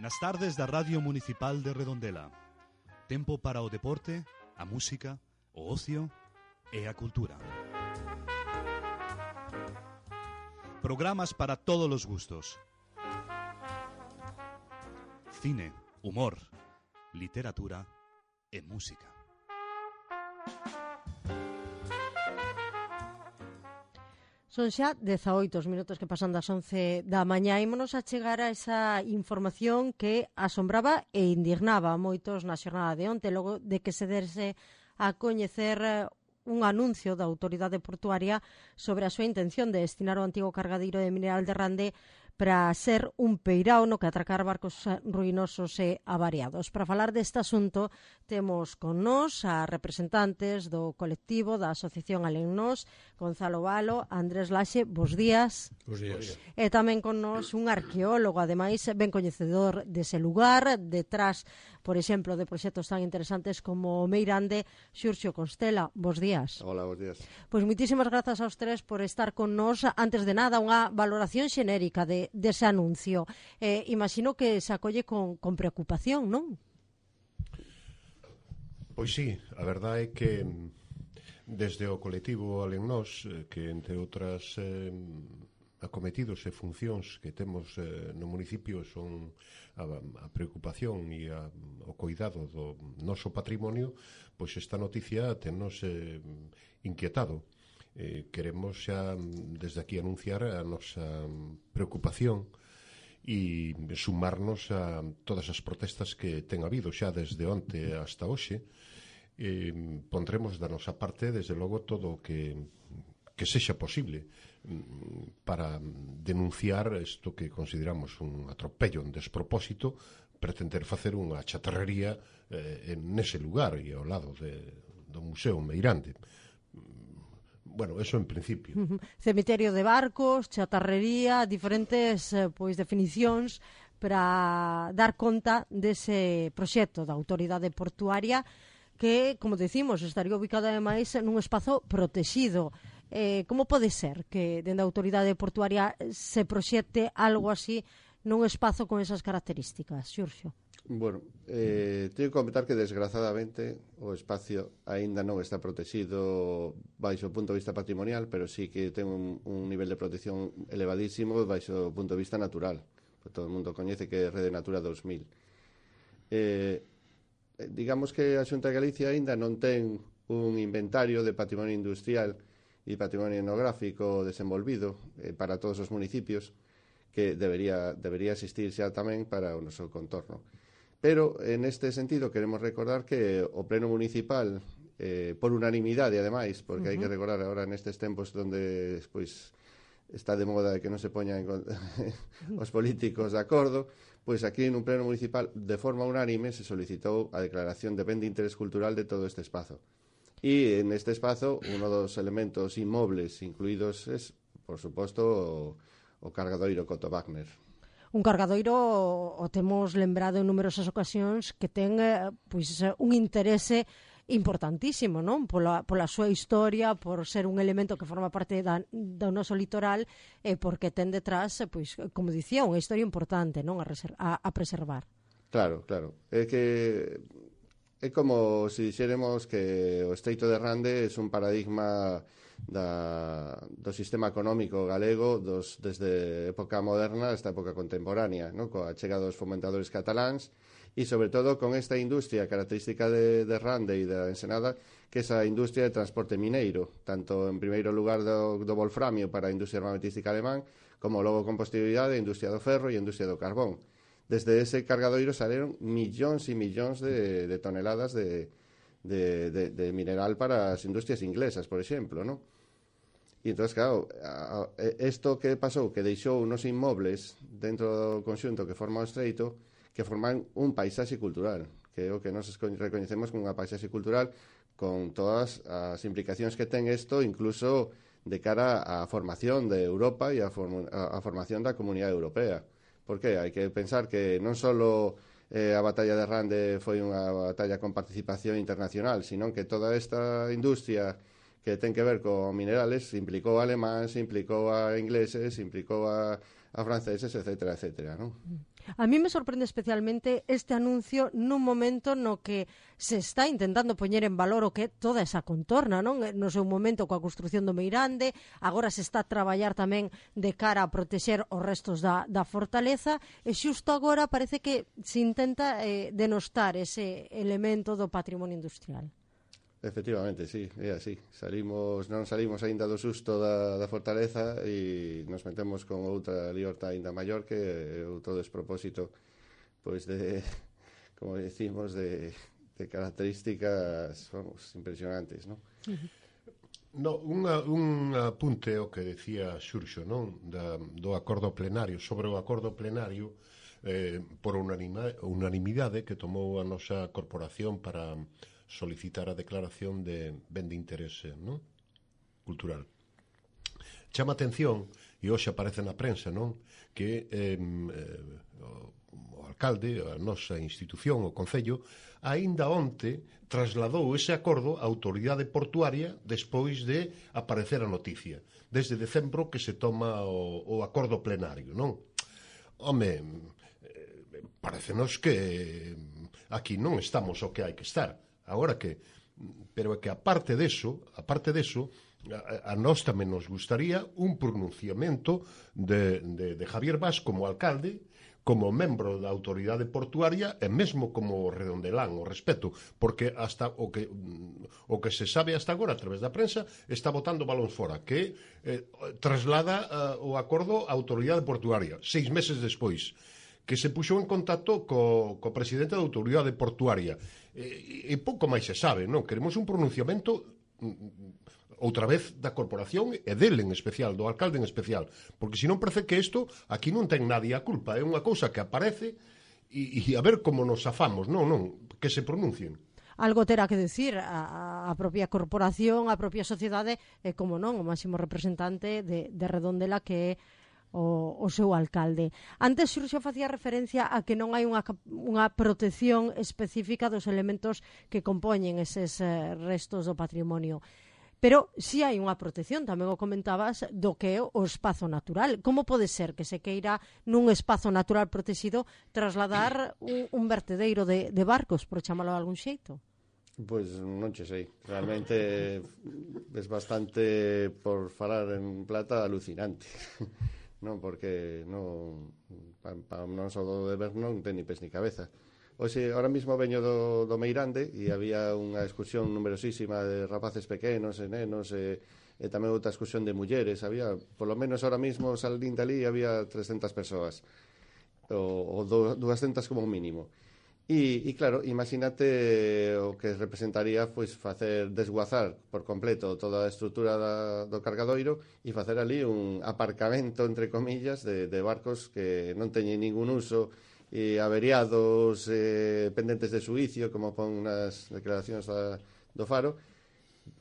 Nas tardes da Radio Municipal de Redondela. Tempo para o deporte, a música, o ocio e a cultura. Programas para todos os gustos. Cine, humor, literatura e música. Son xa 18 os minutos que pasan das 11 da mañá. Ímonos a chegar a esa información que asombraba e indignaba a moitos na xornada de onte, logo de que se derse a coñecer un anuncio da autoridade portuaria sobre a súa intención de destinar o antigo cargadeiro de mineral de Rande para ser un peirao no que atracar barcos ruinosos e avariados. Para falar deste asunto temos con nós a representantes do colectivo da Asociación Alennos, Gonzalo Valo, Andrés Laxe, bos días. Bos días. E tamén con nós un arqueólogo, ademais ben coñecedor dese lugar, detrás, por exemplo, de proxectos tan interesantes como o Meirande, Xurxo Constela, bos días. Hola, bos días. Pois moitísimas grazas aos tres por estar con nós. Antes de nada, unha valoración xenérica dese anuncio. Imagino que se acolle con preocupación, non? Pois sí, a verdade é que desde o colectivo Alennos, que entre outras acometidos e funcións que temos no municipio son a preocupación e o cuidado do noso patrimonio, pois esta noticia tennos inquietado. Queremos xa desde aquí anunciar a nosa preocupación e sumarnos a todas as protestas que ten habido xa desde onte hasta hoxe. Pondremos da nosa parte, desde logo, todo o que sexa posible para denunciar isto que consideramos un atropello, un despropósito, pretender facer unha chatarrería nese lugar e ao lado do Museo Meirande. Bueno, eso en principio. Cemiterio de barcos, chatarrería, diferentes definicións para dar conta dese proxecto da autoridade portuaria que, como decimos, estaría ubicado ademais nun espazo protexido. Como pode ser que dende a autoridade portuaria se proxecte algo así nun espazo con esas características, Xurxo? Bueno, teño que comentar que desgrazadamente o espacio aínda non está protegido baixo o punto de vista patrimonial, pero sí que ten un nivel de protección elevadísimo baixo o punto de vista natural. Todo o mundo coñece que é Rede Natura 2000. Digamos que a Xunta de Galicia aínda non ten un inventario de patrimonio industrial e patrimonio etnográfico desenvolvido para todos os municipios, que debería existir xa tamén para o noso contorno. Pero, en este sentido, queremos recordar que o Pleno Municipal, por unanimidade, ademais, porque hai que recordar agora nestes tempos onde está de moda que non se poñan os políticos de acordo, pois aquí nun Pleno Municipal, de forma unánime, se solicitou a declaración de ben de interés cultural de todo este espazo. E neste espazo, uno dos elementos inmobles incluídos es, por suposto, o cargadoiro Coto Wagner. Un cargadoiro, o temos lembrado en numerosas ocasións, que ten un interese importantísimo, non? Pola súa historia, por ser un elemento que forma parte do noso litoral e porque ten detrás, como dicía, unha historia importante, non? A preservar. Claro. É que é como se dixéremos que o Estreito de Rande é un paradigma do sistema económico galego desde época moderna hasta época contemporánea, ¿no? Coa chega dos fomentadores cataláns e, sobre todo, con esta industria característica de Rande e da Ensenada, que é esa industria de transporte mineiro, tanto en primeiro lugar do wolframio para a industria armamentística alemán, como logo con posterioridade a industria do ferro e a industria do carbón. Desde ese cargadoiro saíron millóns e millóns de toneladas de mineral para as industrias inglesas, por exemplo, ¿no? E entón, claro, isto que pasou, que deixou unos inmobles dentro do conxunto que forma o estreito, que forman un paisaxe cultural, que é o que nos recoñecemos como unha paisaxe cultural, con todas as implicacións que ten isto, incluso de cara á formación de Europa e á formación da Comunidade Europea. Por que? Hai que pensar que non só a batalla de Rande foi unha batalla con participación internacional, sino que toda esta industria que ten que ver con minerales implicou a alemáns, implicou a ingleses, implicou a franceses, etcétera, non? A mí me sorprende especialmente este anuncio nun momento no que se está intentando poñer en valor o que é toda esa contorna, non? No seu momento coa construción do Meirande, agora se está a traballar tamén de cara a protexer os restos da fortaleza, e xusto agora parece que se intenta denostar ese elemento do patrimonio industrial. Efectivamente, sí, é así. Non salimos aínda do susto da fortaleza e nos metemos con outra liorta aínda maior que outro despropósito, pois de, como decimos, de características, vamos, impresionantes, non? No, un apunte ao que decía Xurxo, non? Do acordo plenario, sobre o acordo plenario por unanimidade que tomou a nosa corporación para solicitar a declaración de ben de interese, non? Cultural. Chama atención, e hoxe aparece na prensa, non? Que o alcalde, a nosa institución, o Concello, aínda onte trasladou ese acordo á autoridade portuaria despois de aparecer a noticia. Desde decembro que se toma o acordo plenario, non? Home, parecenos que aquí non estamos o que hai que estar. Agora que, pero é que aparte deso, a nós tamén nos gustaría un pronunciamento de Javier Bas como alcalde, como membro da autoridade portuaria e mesmo como redondelán o respeto, porque hasta o que se sabe hasta agora a través da prensa está botando balóns fora, que traslada o acordo á autoridade portuaria 6 meses despois, que se puxou en contacto co presidente da autoridade portuaria e pouco máis se sabe, non? Queremos un pronunciamento outra vez da corporación e dele en especial, do alcalde en especial, porque senón parece que isto aquí non ten nadie a culpa, é unha cousa que aparece e a ver como nos afamos, non, que se pronuncien. Algo terá que decir a propia corporación, a propia sociedade e, como non, o máximo representante de Redondela, que é o seu alcalde. Antes Xurxo facía referencia a que non hai unha protección específica dos elementos que compoñen eses restos do patrimonio. Pero si hai unha protección, tamén o comentabas, do que é o espazo natural. Como pode ser que se queira nun espazo natural protegido trasladar un vertedeiro de barcos, por chamalo de algún xeito? Pois non che sei. Realmente é bastante, por falar en plata, alucinante. Non, porque non só do de ver non ten ni pés ni cabeza. Oxe, ahora mismo veño do Meirande e había unha excursión numerosísima de rapaces pequenos e nenos e tamén outra excursión de mulleres. Había, por lo menos ahora mismo, salindo ali, había 300 persoas ou 200 como mínimo. E claro, imagínate o que representaría pois facer desguazar por completo toda a estrutura do cargadoiro e facer ali un aparcamento, entre comillas, de barcos que non teñen ningún uso e averiados, pendentes de suicio, como pon nas declaracións do Faro.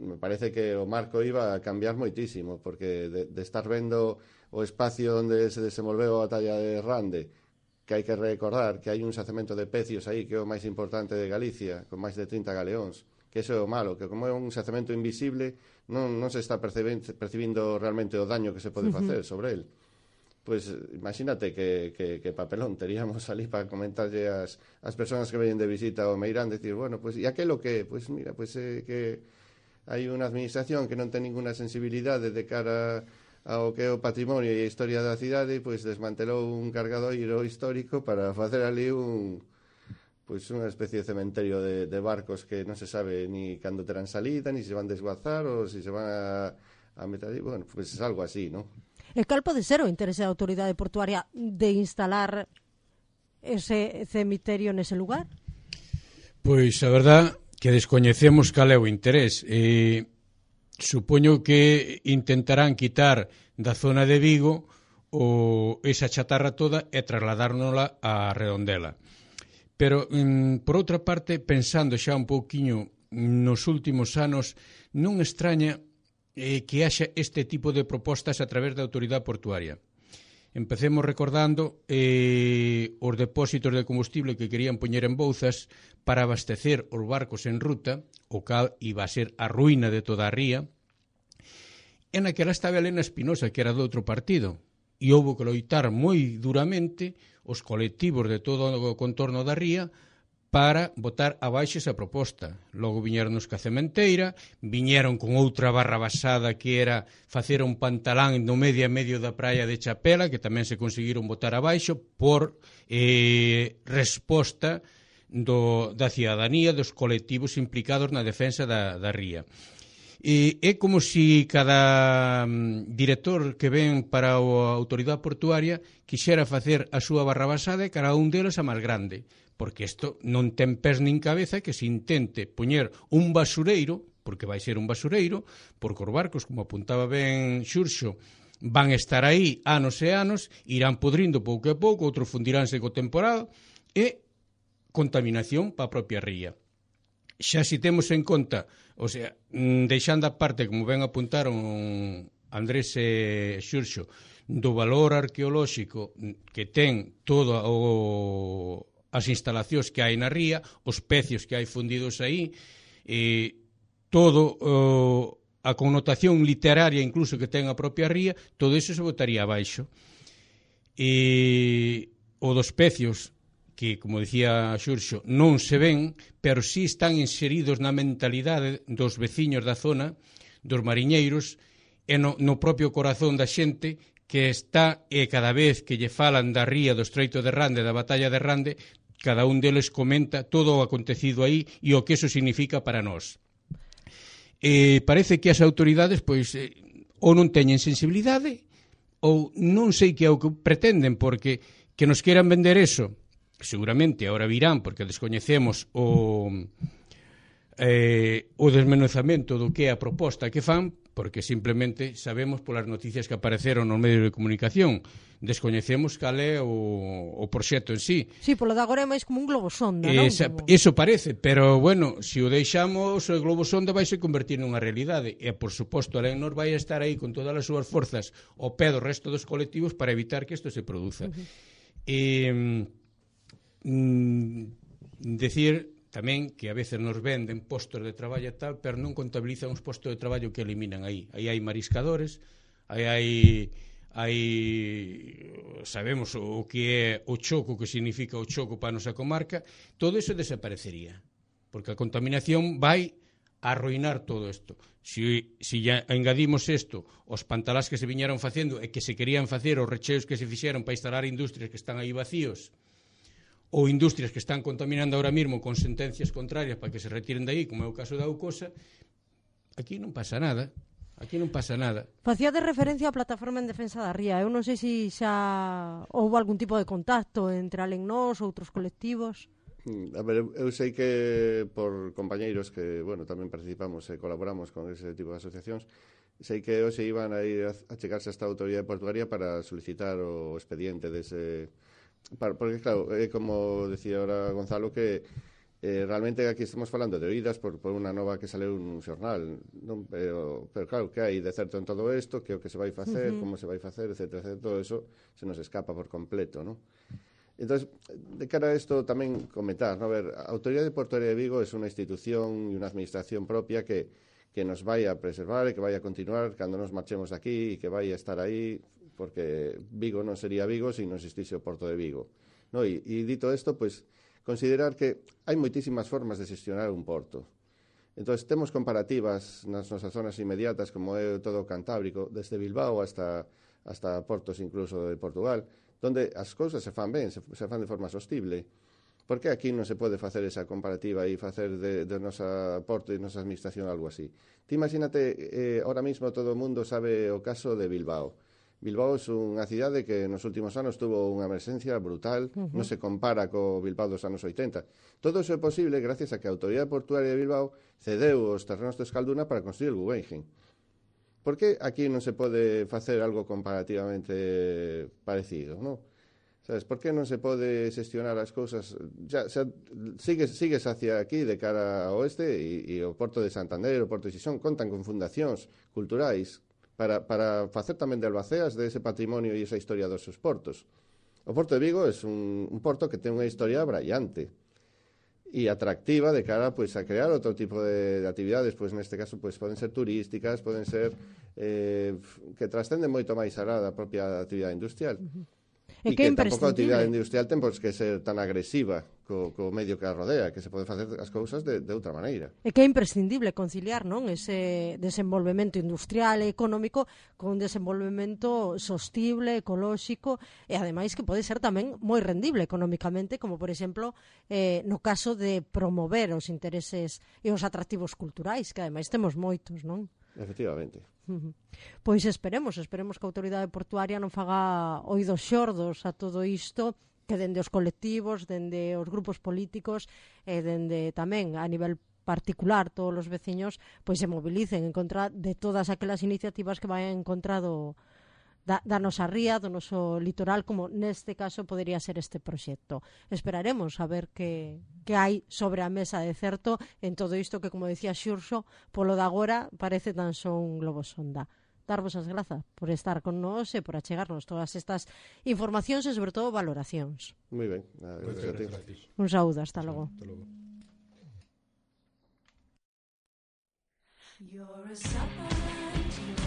Me parece que o marco iba a cambiar moitísimo, porque de estar vendo o espacio onde se desenvolveu a batalla de Rande, que hai que recordar que hai un xacemento de pecios aí que é o máis importante de Galicia, con máis de 30 galeóns, que iso é o malo, que como é un xacemento invisible non se está percibindo realmente o daño que se pode facer sobre el. Pois imagínate que papelón teríamos ali para comentarlle as persoas que veñen de visita ao Meirán, decir, bueno, pois, e aquelo que, pois mira, pois que hai unha administración que non ten ninguna sensibilidade de cara ao que é o patrimonio e a historia da cidade, pois desmantelou un cargadoiro histórico para facer ali unha especie de cementerio de barcos que non se sabe ni cando terán salida, ni se van desguazar ou se van a meter ali. Bueno, pois é algo así, non? E cal pode ser o interese da autoridade portuaria de instalar ese cemiterio nese lugar? Pois a verdad que descoñecemos cal é o interés. Supoño que intentarán quitar da zona de Vigo esa chatarra toda e trasladárnosla a Redondela. Pero, por outra parte, pensando xa un pouquiño nos últimos anos, non extraña que haxa este tipo de propostas a través da autoridade portuaria. Empecemos recordando os depósitos de combustible que querían poñer en Bouzas para abastecer os barcos en ruta, o cal iba a ser a ruína de toda a ría. E naquela estaba Elena Espinosa, que era do outro partido. e houve que loitar moi duramente os colectivos de todo o contorno da ría para botar abaixo esa proposta. Logo viñeron os Cacementeira, viñeron con outra barra basada que era facer un pantalán no medio a medio da praia de Chapela, que tamén se conseguiron botar abaixo por resposta da cidadanía, dos colectivos implicados na defensa da ría. É como se cada director que ven para a autoridade portuaria quixera facer a súa barra basada e cada un deles a máis grande, porque isto non ten pés nin cabeza que se intente poñer un basureiro, porque vai ser un basureiro, porque os barcos, como apuntaba ben Xurxo, van estar aí anos e anos, irán podrindo pouco a pouco, outros fundiránse co temporal, e contaminación para a propia ría. Xa se temos en conta, o sea, deixando a parte, como ben apuntaron Andrés e Xurxo, do valor arqueolóxico que ten todo as instalacións que hai na ría, os pecios que hai fundidos aí, todo a connotación literaria incluso que ten a propia ría, todo iso se botaría abaixo. O dos pecios, que, como dicía Xurxo, non se ven, pero sí están inseridos na mentalidade dos veciños da zona, dos mariñeiros, e no propio corazón da xente que está, e cada vez que lle falan da ría do Estreito de Rande, da batalla de Rande, cada un deles comenta todo o acontecido aí e o que eso significa para nós. Parece que as autoridades, pois, ou non teñen sensibilidade, ou non sei que é o que pretenden, porque que nos queran vender eso, seguramente ahora virán, porque descoñecemos o desmenuzamento do que é a proposta que fan, porque simplemente sabemos polas noticias que apareceron nos medios de comunicación, descoñecemos cal é o proxecto en sí. Sí, polo de agora é máis como un globosonda, non? Eso parece, pero, bueno, se o deixamos, o globosonda vai se convertir nunha realidade, e, por suposto, alén nos vai estar aí con todas as súas forzas ao pé do resto dos colectivos para evitar que isto se produza. Decir tamén que a veces nos venden postos de traballo e tal, pero non contabilizan os postos de traballo que eliminan aí. Aí hai mariscadores, aí sabemos o que é o choco, que significa o choco para a nosa comarca, todo iso desaparecería, porque a contaminación vai a arruinar todo isto. Se ya engadimos isto, os pantalás que se viñeron facendo e que se querían facer, os recheos que se fixeron para instalar industrias que están aí vacíos, ou industrias que están contaminando ahora mesmo con sentencias contrarias para que se retiren de aí, como é o caso da Aucosa, aquí non pasa nada. Aquí non pasa nada. Facía de referencia á plataforma en defensa da ría. Eu non sei se xa houve algún tipo de contacto entre alén nós, outros colectivos. A ver, eu sei que por compañeiros que, bueno, tamén participamos e colaboramos con ese tipo de asociacións, sei que hoxe iban a ir a chegarse a esta autoridade portuaria para solicitar o expediente dese... Porque, claro, como decía ahora Gonzalo, que realmente aquí estamos falando de oídas por unha nova que saleu nun xornal, non? Pero claro, que hai de certo en todo isto, que o que se vai facer, como se vai facer, etcétera, todo eso se nos escapa por completo, non? Entón, de cara a isto tamén comentar, ¿no? A ver, a Autoridade Portuaria de Vigo é unha institución e unha administración propia que nos vai a preservar e que vai a continuar cando nos marchemos de aquí e que vai a estar aí, porque Vigo non sería Vigo se non existise o Porto de Vigo, no? E dito isto, pois, considerar que hai moitísimas formas de xestionar un porto. Entón, temos comparativas nas nosas zonas inmediatas, como é todo o Cantábrico, desde Bilbao hasta portos incluso de Portugal, donde as cousas se fan ben, se fan de forma sostible. Por que aquí non se pode facer esa comparativa e facer de nosa porto e nosa administración algo así? Ti imagínate, ahora mismo todo o mundo sabe o caso de Bilbao. Bilbao é unha cidade que nos últimos anos tuvo unha emerxencia brutal, non se compara co Bilbao dos anos 80. Todo iso é posible gracias a que a Autoridade Portuaria de Bilbao cedeu os terrenos de Escalduna para construir o Guggenheim. Por que aquí non se pode facer algo comparativamente parecido, non? Sabes, por que non se pode xestionar as cousas? Sigues hacia aquí de cara ao oeste e o Porto de Santander, o Porto de Xixón contan con fundacións culturais para facer tamén de albaceas de ese patrimonio e esa historia dos seus portos. O Porto de Vigo é un porto que ten unha historia brillante. y atractiva de cara pues a crear otro tipo de actividades, pues neste caso pues poden ser turísticas, poden ser que trascenden moito máis alá da propia actividade industrial. E que que é tampouco a actividade imprescindible. industrial ten que ser tan agresiva co medio que a rodea, que se pode facer as cousas de outra maneira. E que é imprescindible conciliar, non, ese desenvolvemento industrial e económico con un desenvolvemento sostible, ecolóxico e ademais que pode ser tamén moi rendible económicamente, como por exemplo no caso de promover os intereses e os atractivos culturais, que ademais temos moitos, non? Efectivamente. Pois esperemos que a autoridade portuaria non faga oídos xordos a todo isto, que dende os colectivos, dende os grupos políticos e dende tamén a nivel particular todos os veciños pois se mobilicen en contra de todas aquelas iniciativas que vayan en contra da nosa ría, do noso litoral, como neste caso podería ser este proxecto. Esperaremos a ver que hai sobre a mesa de certo en todo isto que, como decía Xurxo, polo de agora parece tan só un globo sonda. Darvos as grazas por estar con nós e por achegarnos todas estas informacións e, sobre todo, valoracións. Moi ben. Gracias. Un saúdo, hasta logo. Hasta logo. You're a summer